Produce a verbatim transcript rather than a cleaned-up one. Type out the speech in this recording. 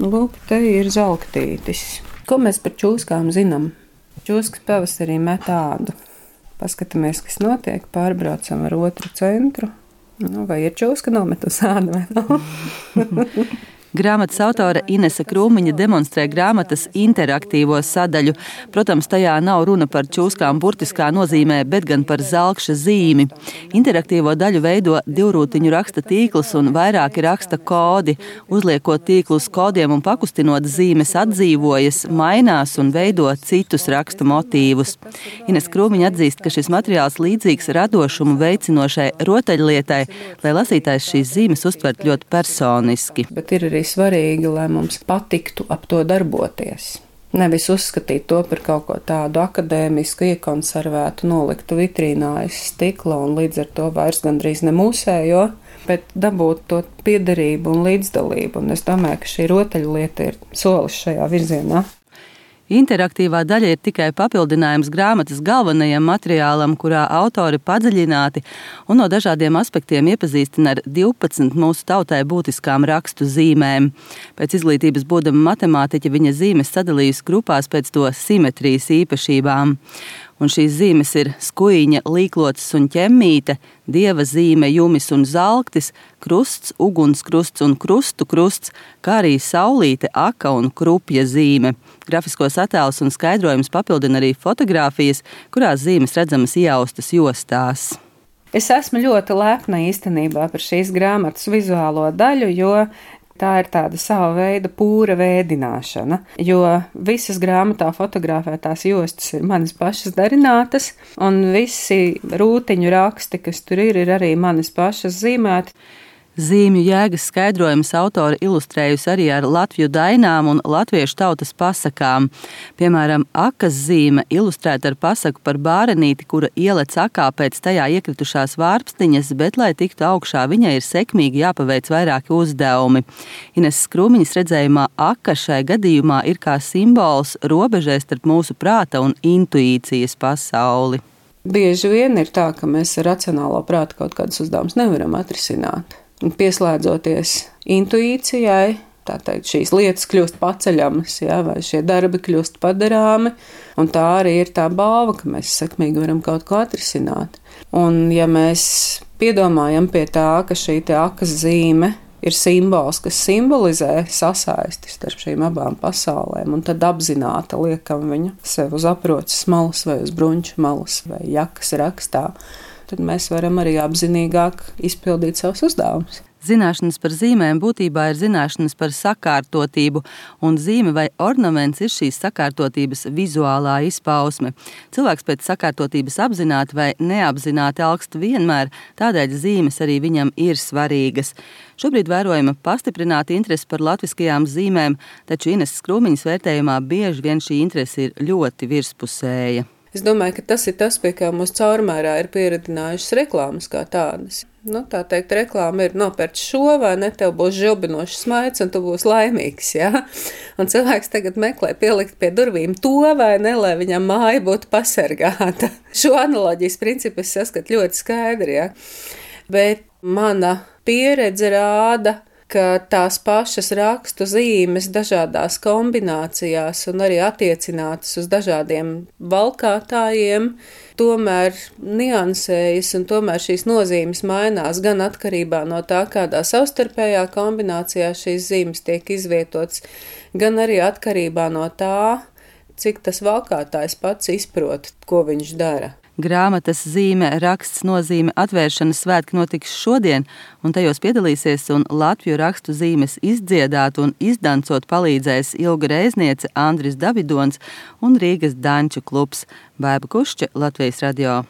Lūk, te ir zalktītis. Ko mēs par čūskām zinām? Čūskas pavasarī met ādu. Paskatāmies, kas notiek, pārbraucam ar otru centru. Nu, vai ir čūska nometus ādu vai nav? Grāmatas autore Inese Krūmiņa demonstrē grāmatas interaktīvo sadaļu. Protams, tajā nav runa par čūskām burtiskā nozīmē, bet gan par zelkša zīmi. Interaktīvo daļu veido divrūtiņu raksta tīkls un vairāki raksta kodi. Uzliekot tīklu uz kodiem un pakustinot, zīmes atdzīvojas, mainās un veido citus raksta motīvus. Inese Krūmiņa atzīst, ka šis materiāls līdzīgs radošumu veicinošai rotaļlietai, lai lasītājs šīs zīmes uztvert ļoti personiski. Bet ir arī svarīgi, lai mums patiktu ap to darboties. Nevis uzskatīt to par kaut ko tādu akadēmisku, iekonservētu, noliktu vitrīnā aiz stikla un līdz ar to vairs gandrīz ne mūsējo, bet dabūt to piederību un līdzdalību. Un es domāju, ka šī rotaļlieta ir solis šajā virzienā. Interaktīvā daļa ir tikai papildinājums grāmatas galvenajam materiālam, kurā autori padziļināti un no dažādiem aspektiem iepazīstina ar divpadsmit mūsu tautai būtiskām rakstu zīmēm. Pēc izglītības būdama matemātiķa viņa zīmes sadalījusi grupās pēc to simetrijas īpašībām. Un šīs zīmes ir skuiņa, līklocis un ķemmīte, dieva zīme, jumis un zalktis, krusts, ugunskrusts un krustu krusts, kā arī saulīte, aka un krupja zīme. Grafiskos attēlus un skaidrojumus papildina arī fotogrāfijas, kurās zīmes redzamas ieaustas jostās. Es esmu ļoti lepna īstenībā par šīs grāmatas vizuālo daļu, jo tā ir tāda sava veida pūra vēdināšana, jo visas grāmatā fotografētās jostas ir manas pašas darinātas, un visi rūtiņu raksti, kas tur ir, ir arī manas pašas zīmēti. Zīmju jēgas skaidrojumus autori ilustrējusi arī ar latviju dainām un latviešu tautas pasakām. Piemēram, akas zīme ilustrēta ar pasaku par bārenīti, kura ielec akā pēc tajā iekritušās vārpstiņas, bet, lai tiktu augšā, viņai ir sekmīgi jāpaveic vairāki uzdevumi. Ineses Krūmiņas redzējumā aka šai gadījumā ir kā simbols robežai starp mūsu prāta un intuīcijas pasauli. Bieži vien ir tā, ka mēs ar racionālo prātu kaut kādus uzdevumus nevaram atrisināt. Pieslēdzoties intuīcijai, tā teikt, šīs lietas kļūst paceļamas, ja, vai šie darbi kļūst padarāmi, un tā arī ir tā balva, ka mēs sekmīgi varam kaut ko atrisināt. Un ja mēs piedomājam pie tā, ka šī te akas zīme ir simbols, kas simbolizē sasaisti starp šīm abām pasaulēm, un tad apzināti liekam viņu sev uz aproces malas vai uz bruņču malas vai jakas rakstā, tad mēs varam arī apzinīgāk izpildīt savus uzdevumus. Zināšanas par zīmēm būtībā ir zināšanas par sakārtotību, un zīme vai ornaments ir šīs sakārtotības vizuālā izpausme. Cilvēks pēc sakārtotības apzināti vai neapzināti alkst vienmēr, tādēļ zīmes arī viņam ir svarīgas. Šobrīd vērojama pastiprināta interese par latviskajām zīmēm, taču Ineses Krūmiņas vērtējumā bieži vien šī interese ir ļoti virspusēja. Es domāju, ka tas ir tas, pie kā mūsu caurmērā ir pieredinājušas reklāmas kā tādas. Nu, tā teikt, reklāma ir nopērts šo, vai ne, tev būs žilbinošs smaids, un tu būsi laimīgs, jā. Un cilvēks tagad meklē pielikt pie durvīm to, vai ne, lai viņam māja būtu pasargāta. Šo analoģijas principu es saskatu ļoti skaidri, jā. Bet mana pieredze rāda, ka tās pašas rakstu zīmes dažādās kombinācijās un arī attiecinātas uz dažādiem valkātājiem tomēr niansējas un tomēr šīs nozīmes mainās gan atkarībā no tā, kādā savstarpējā kombinācijā šīs zīmes tiek izvietotas, gan arī atkarībā no tā, cik tas valkātājs pats izprot, ko viņš dara. Grāmatas zīme, raksts nozīme atvēršanas svētki notiks šodien, un tajos piedalīsies un latviju rakstu zīmes izdziedāt un izdancot palīdzēs Ilga Reizniece, Andris Davidons un Rīgas Danču klubs. Baiba Kušķe, Latvijas radio.